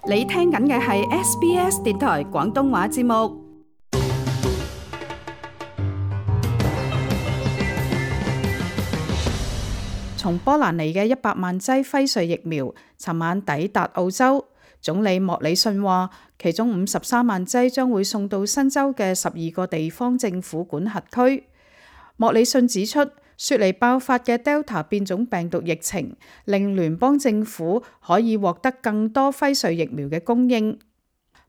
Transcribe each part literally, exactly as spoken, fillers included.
你聽緊嘅係 S B S 電台廣東話節目。從波蘭嚟嘅一百萬劑輝瑞疫苗，尋晚抵達澳洲。總理莫里遜話，其中五十三萬劑將會送到新州嘅十二個地方政府管轄區。莫里遜指出，雪梨爆發嘅 Delta 變種病毒疫情，令聯邦政府可以獲得更多輝瑞疫苗嘅供應。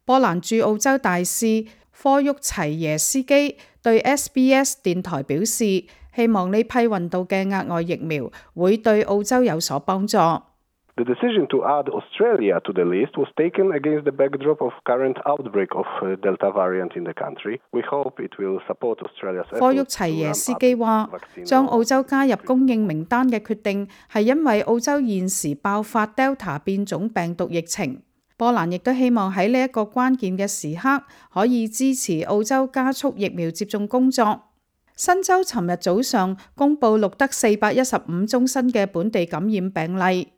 波蘭駐澳洲大使科沃齊耶斯基對 S B S 電台表示，希望呢批運到嘅額外疫苗會對澳洲有所幫助。The decision to add Australia to the list was taken against the backdrop of current outbreak of Delta variant in the country. We hope it will support Australia's efforts. 科沃齊耶斯基話，將澳洲加入供應名單嘅決定係因為澳洲現時爆發 Delta 變種病毒疫情。波蘭亦都希望喺呢一個關鍵嘅時刻可以支持澳洲加速疫苗接種工作。新州尋日早上公佈錄得四百一十五宗新嘅本地感染病例。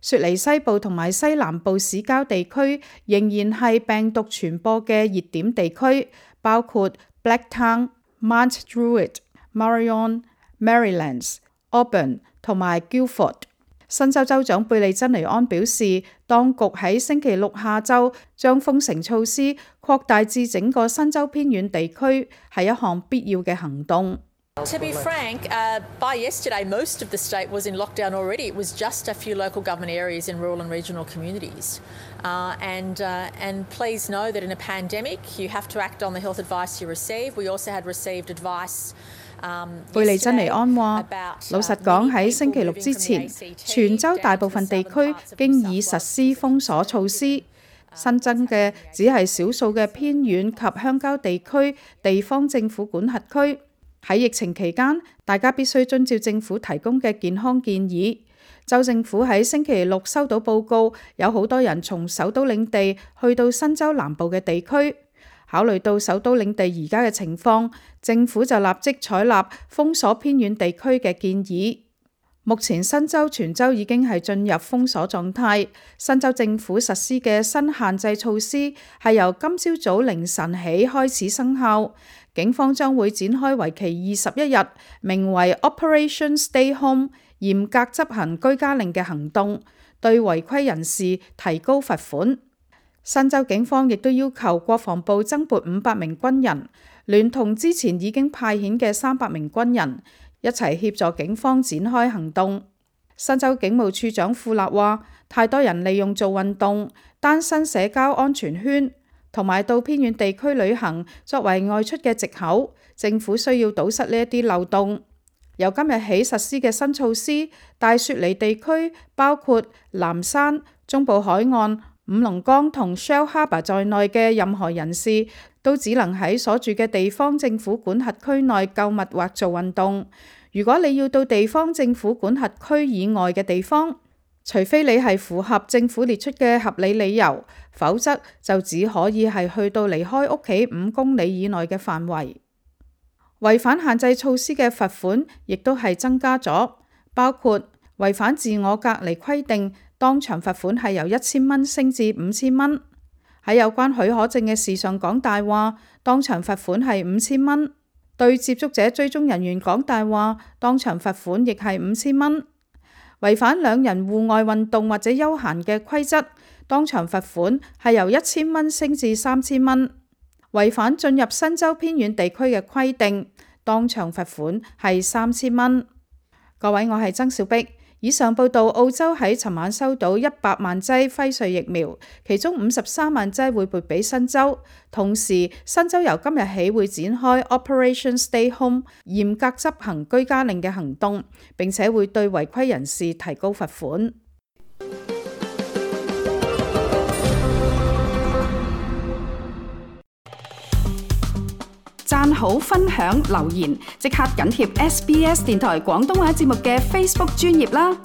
雪梨西部同埋西南部市郊地區仍然係病毒傳播嘅熱點地區，包括 Blacktown、Mount Druitt、Marion、Merrylands、Auburn 同埋 Guildford。新州州長貝利珍尼安表示，當局喺星期六下晝將封城措施擴大至整個新州偏遠地區，係一項必要嘅行動。To be frank, uh, by yesterday, most of the state was in lockdown already. It was just a few local government areas in rural and regional communities. Uh, and, uh, and please know that in a pandemic, you have to act on the health advice you receive. We also had received advice. 貝利珍尼安話，老實講，喺星期六之前，全州大部分地區經已實施封鎖措施。新增嘅只係少數嘅偏遠及鄉郊地區地方政府管轄區。喺疫情期間，大家必須遵照政府提供嘅健康建議。州政府喺星期六收到報告，有好多人從首都領地去到新州南部嘅地區。考慮到首都領地而家嘅情況，政府就立即採納封鎖偏遠地區嘅建議。目前新州全州已經係進入封鎖狀態。新州政府實施嘅新限制措施係由今朝早凌晨起開始生效。警方將會展開為期二十一日，名為 Operation Stay Home 嚴格執行居家令嘅行動，對違規人士提高罰款。新州警方亦都要求國防部增撥五百名軍人，聯同之前已經派遣嘅三百名軍人，一齊協助警方展開行動。新州警務處長庫勒話，太多人利用做運動、單身社交安全圈同埋到偏遠地區旅行作為外出嘅藉口，政府需要堵塞呢一啲漏洞。由今日起實施嘅新措施，大雪梨地區包括藍山、中部海岸、五龍崗同 Shell Harbour 在內嘅任何人士，都只能喺所住嘅地方政府管轄區內購物或做運動。如果你要到地方政府管轄區以外嘅地方，除非你係符合政府列出嘅合理理由，否則就只可以係去到離開屋企五公里以內嘅範圍。違反限制措施嘅罰款亦都係增加咗，包括違反自我隔離規定，當場罰款係由一千蚊升至五千蚊。喺有關許可證嘅事上講大話，當場罰款係五千蚊。對接觸者追蹤人員講大話，當場罰款亦係五千蚊。違反兩人戶外運動或者休閒嘅規則，當場罰款係由一千蚊升至三千蚊。違反進入新州偏遠地區嘅規定，當場罰款係三千蚊。各位，我係曾小碧。以上報道，澳洲喺尋晚收到一百萬劑輝瑞疫苗，其中五十三萬劑會撥俾新州。同時，新州由今日起會展開 Operation Stay Home 嚴格執行居家令嘅行動，並且會對違規人士提高罰款。讚好、分享、留言，即刻緊貼 S B S 電台廣東話節目嘅 Facebook 專頁啦！